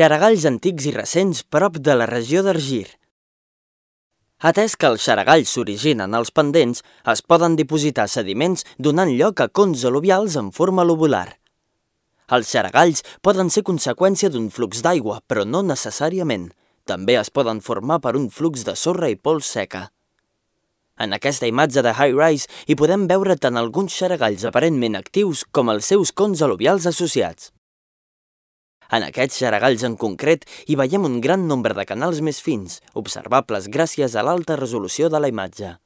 Xaragalls antics i recents prop de la regió d'Argir. Atès que els xaragalls s'originen als pendents, es poden dipositar sediments donant lloc a cons al·luvials en forma lobular. Els xaragalls poden ser conseqüència d'un flux d'aigua, però no necessàriament. També es poden formar per un flux de sorra i pols seca. En aquesta imatge de High Rise hi podem veure tant alguns xaragalls aparentment actius com els seus cons al·luvials associats. En aquests xaragalls en concret hi veiem un gran nombre de canals més fins, observables gràcies a l'alta resolució de la imatge.